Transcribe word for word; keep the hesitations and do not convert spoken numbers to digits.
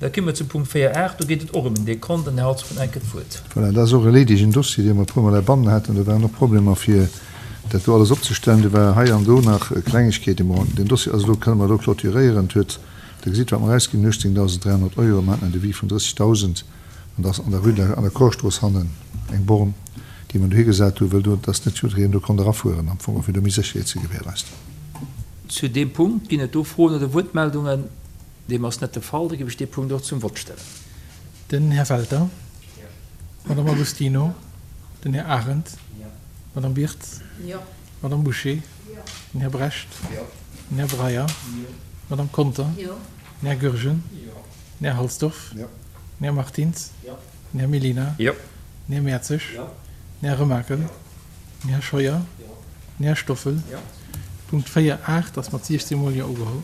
Da komme mer zum Punkt véier aacht. Do geet et och ëm en Dekont an den Här Halsdorf huet enk d'Wuert. Voilà, dat ass och e leedegen Dossier, dee mer e puermol heibannen haten. Do waren och Problemer, fir dat do alles opzestellen. Do war hei an do nach Klengegkeeten. Bon, den Dossier ass elo, kënne mer elo clôturéieren. Et huet, Der gesitt, wat mer ausginn hunn, uechtzéngdausend dräihonnert Euro. Mer haten en Devis vun drëssigdausend an dat ass an der Rue de la, an der Korstrooss hannen eng Born, déi mer dohigesat hunn, wëll do, dass net jiddereen do konnt erafueren am Fong, fir do méi Sécherheet ze gewährleisten. Zu deem Punkt ginn et do Froen oder Wuertmeldungen? Deem ass net de Fall. Da géif ech dee Punkt och zum Vott stellen. Den Här Welter. D'Madame Agostino. Den Här Arendt. D'Madame Birtz. D'Madame Bouché. Den Här Brecht. Den Här Breyer. D'Madame Conter. Den Här Goergen. Den Här Halsdorf. Den Här Martins. Den Här Mellina. Den Här Mertzig. Den Här Remakel. Den Här Scheuer. Den Här Stoffel. Punkt véier aacht ass mat siechzéng Mol Jo ugeholl.